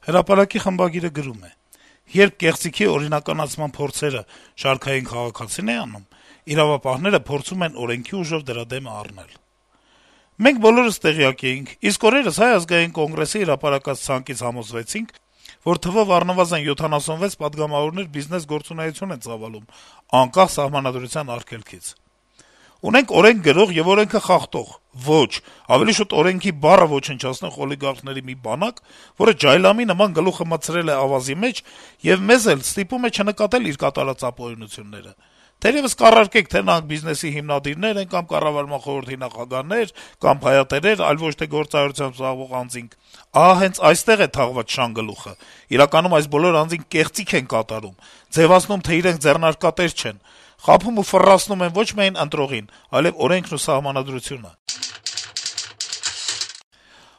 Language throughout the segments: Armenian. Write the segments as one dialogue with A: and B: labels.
A: Հրապարակի խմբագիրը գրում է. - «Երբ կեղծիքի օրինականացման փորձերը շարքային քաղաքացին է անում, իրավապահները փորձում են օրենքի ուժով դրա դեմը առնել: Մենք բոլորս տեղյակ էինք, իսկ օրերս Հայ ազգային կոնգրեսի հրապարակած ցանկից համոզվեցինք, որ թվով առնվազն 76 պատգամավորներ բիզնես գործունեություն են ծավալում, անկախ սահմանադրության արգելքից: Ունենք օրենք գրող եւ օրենքը խախտող, ոչ, ավելի շուտ օրենքի բառը ոչնչացնող օլիգարխների մի բանակ, որը ջայլամի նման գլուխը մտցրել է ավազի մեջ եւ մեզ էլ ստիպում է չնկատել իր կատարած ապօրինությունները: Թերեւս կառարկեք, թե նրանք բիզնեսի հիմնադիրներ են կամ կառավարման խորհրդի նախագահներ կամ փայատերեր, այլ ոչ թե գործարարությամբ զբաղվող անձինք: Ահա հենց այստեղ է թաղված շանգլուխը: Իրականում այս բոլոր անձինք կեղծիք են կատարում, ձեւացնում, թե իրենք ձեռնարկատեր չեն, խաբում ու ֆռռացնում են ոչ միայն ընտրողին, այլեւ օրենքն ու սահմանադրությունը»: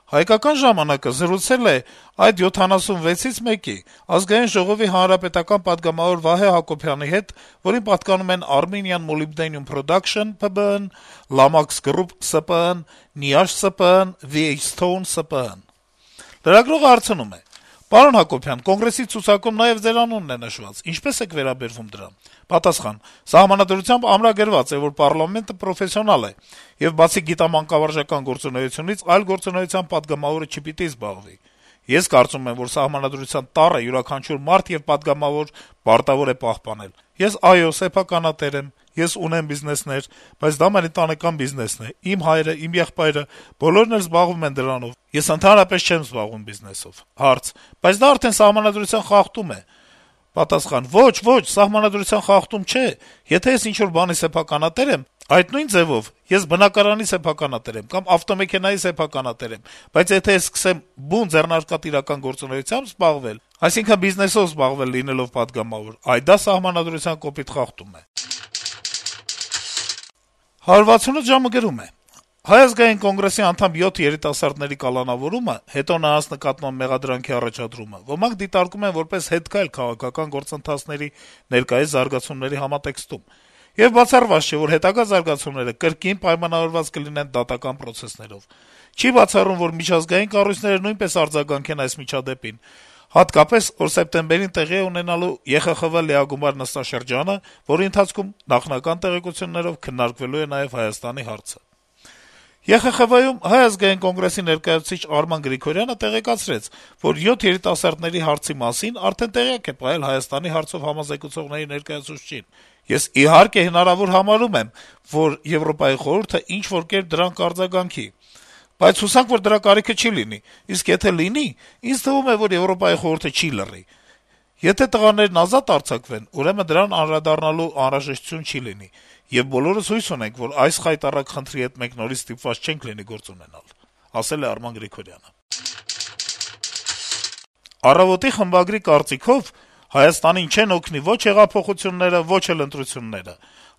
A: «Հայկական ժամանակ»-ը զրուցել է այդ 76-ից մեկի` Ազգային ժողովի հանրապետական պատգամավոր Վահե Հակոբյանի հետ, որին պատկանում են Armenian Molybdenum Production ՓԲԸ-ն, Lamax Group ՍՊԸ-ն, Niash ՍՊԸ-ն, VH-Stone ՍՊԸ-ն: Լրագրողը հարցնում է. - «Պարոն Հակոբյան, Կոնգրեսի ցուցակում նաեւ Ձեր անունն է նշված, ինչպե՞ս եք վերաբերվում դրան»: Պատասխան. - «Սահմանադրությամբ ամրագրված է, որ պառլամենտը պրոֆեսիոնալ է, եւ բացի գիտամանկավարժական գործունեությունից այլ գործունեությամբ պատգամավորը չպիտի զբաղվի: Ես կարծում եմ, որ սահմանադրության տառը յուրաքանչյուր մարդ եւ պատգամավոր պարտավոր է պահպանել: Ես, այո, սեփականատեր եմ, ես ունեմ բիզնեսներ, բայց դա մեր ընտանեկան բիզնեսն է, իմ հայրը, իմ եղբայրը, բոլորն էլ զբաղվում են դրանով: Ես ընդհանրապես չեմ զբաղվում բիզնեսով»: Հարց. - «Բայց դա արդեն սահմանադրության խախտում է»: Պատասխան. - «Ոչ, սահմանադրության խախտում չէ: Եթե ես ինչ-որ բանի սեփականատեր եմ, այդ նույն ձեւով ես բնակարանի սեփականատեր եմ կամ ավտոմեքենայի սեփականատեր եմ, բայց եթե ես սկսեմ բուն ձեռնարկատիրական գործունեությամբ զբաղվել, այսինքն բիզնեսով զբաղվել լինելով պատգամավոր, այ դա սահմանադրության կոպիտ խախտում է»: «168 ժամ»-ը գրում է. - «Հայ ազգային կոնգրեսի անդամ 7 երիտասարդների կալանավորումը, հետո նրանց նկատմամբ մեղադրանքի առաջադրումը ոմանք դիտարկում են որպես հետքայլ քաղաքական գործընթացների ներկայիս զարգացումների համատեքստում: Եվ բացառված չէ, որ հետագա զարգացումները կրկին պայմանավորված կլինեն դատական պրոցեսներով: Չի բացառում, որ միջազգային կառույցները նույնպես արձագանքեն այս միջադեպին, հատկապես, որ սեպտեմբերին տեղի է ունենալու ԵԽԽՎ լիագումար նստաշրջանը, որի ընթացքում, նախնական տեղեկություններով, քննարկվելու է նաեւ Հայաստանի հարցը: ԵԽԽՎ-ում Հայ ազգային կոնգրեսի ներկայացուցիչ Արման Գրիգորյանը տեղեկացրեց, որ 7 երիտասարդների հարցի մասին արդեն տեղյակ է պահել Հայաստանի հարցով համազեկուցողների ներկայացուցչին: Ես, իհարկե, հնարավոր համարում եմ, որ Եվրոպայի խորհուրդը ինչ-որ կերպ դրան կարձագանքի: Բայց հուսանք, որ դրա կարիքը չի լինի, իսկ եթե լինի, ինձ թվում է, որ Եվրոպայի խորհուրդը չի լռի: Եթե տղաներն ազատ արձակվեն, ուրեմն դրան անդրադառնալու անհրաժեշտություն չի լինի, եւ բոլորս հույս ունենք, որ այս խայտառակ խնդրի հետ մենք նորից ստիպված չենք լինի գործ ունենալ»: «Առավոտ»-ի խմբագրի կարծիքով Հայաստանին չեն օգնի ո՛չ հեղափոխությունները, ո՛չ էլ ընտրությունները: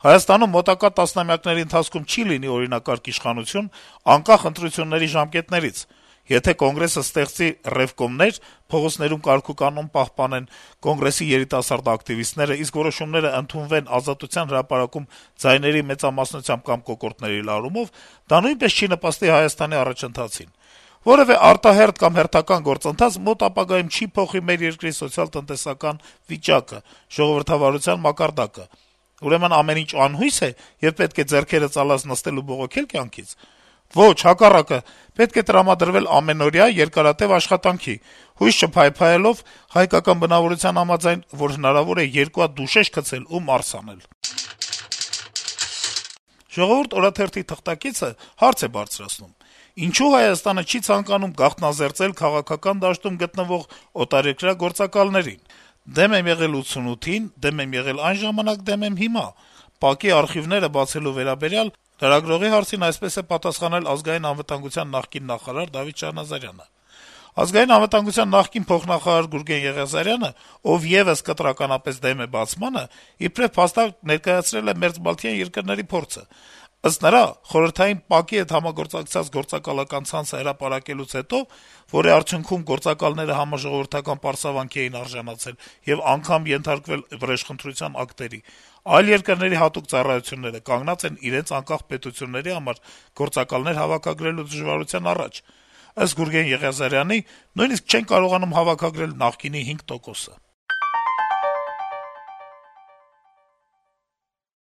A: Հայաստանում մոտակա տասնամյակների ընթացքում չի լինի օրինակարգ իշխանություն, անկախ ընտրությունների ժամկետներից: Եթե Կոնգրեսը ստեղծի ռեվկոմներ, փողոցներում կարգուկանոն պահպանեն Կոնգրեսի երիտասարդ ակտիվիստները, իսկ որոշումները ընդունվեն Ազատության հրապարակում ձայների մեծամասնությամբ կամ կոկորդների լարումով, դա նույնպես չի նպաստի Հայաստանի առաջընթացին: Որեւէ արտահերթ կամ հերթական գործընթաց մոտ ապագայում չի փոխի մեր երկրի սոցիալ-տնտեսական վիճակը, ժողովրդավարության մակարդակը: Ուրեմն ամեն ինչ անհույս է, եւ պետք է ձեռքերը ծալած նստել ու բողոքել կյանքից: Ոչ, հակառակը, պետք է տրամադրվել ամենօրյա, երկարատեւ աշխատանքի, հույս չփայփայելով, հայկական բնավորության համաձայն, որ հնարավոր է երկու հատ դուշեշ գցել ու մարս անել»: «Ժողովուրդ» օրաթերթի թղթակիցը հարց է բարձրացնում. - «Ինչո՞ւ Հայաստանը չի ցանկանում գաղտնազերծել քաղաքական դաշտում գտնվող օտարերկրյա գործակալներին: Դեմ եմ եղել 88-ին, դեմ եմ եղել այն ժամանակ, դեմ եմ հիմա: ՊԱԿ-ի արխիվները բացելու վերաբերյալ լրագրողի հարցին այսպես է պատասխանել Ազգային անվտանգության նախկին նախարար Դավիթ Շահնազարյանը: Ազգային անվտանգության նախկին փոխնախարար Գուրգեն Եղիազարյանը, ով եւս կտրականապես դեմ է բացմանը, իբրեւ փաստարկ ներկայացրել է մերձբալթյան երկրների փորձը: Ըստ նրա, խորհրդային ՊԱԿ-ի հետ համագործակցած գործակալական ցանցը հրապարակելուց հետո, որի արդյունքում գործակալները համաժողովրդական պարսաvanքի էին արժանացել եւ անգամ ենթարկվել վրեժխնդրության ակտերի, այլ երկրների հատուկ ծառայությունները կանգնած են իրենց անկախ պետությունների համար գործակալներ հավաքագրելու դժվարության առաջ: Ըստ Գուրգեն Եղիազարյանի, նույնիսկ չեն կարողանում հավաքագրել նախկինի 5%-ը: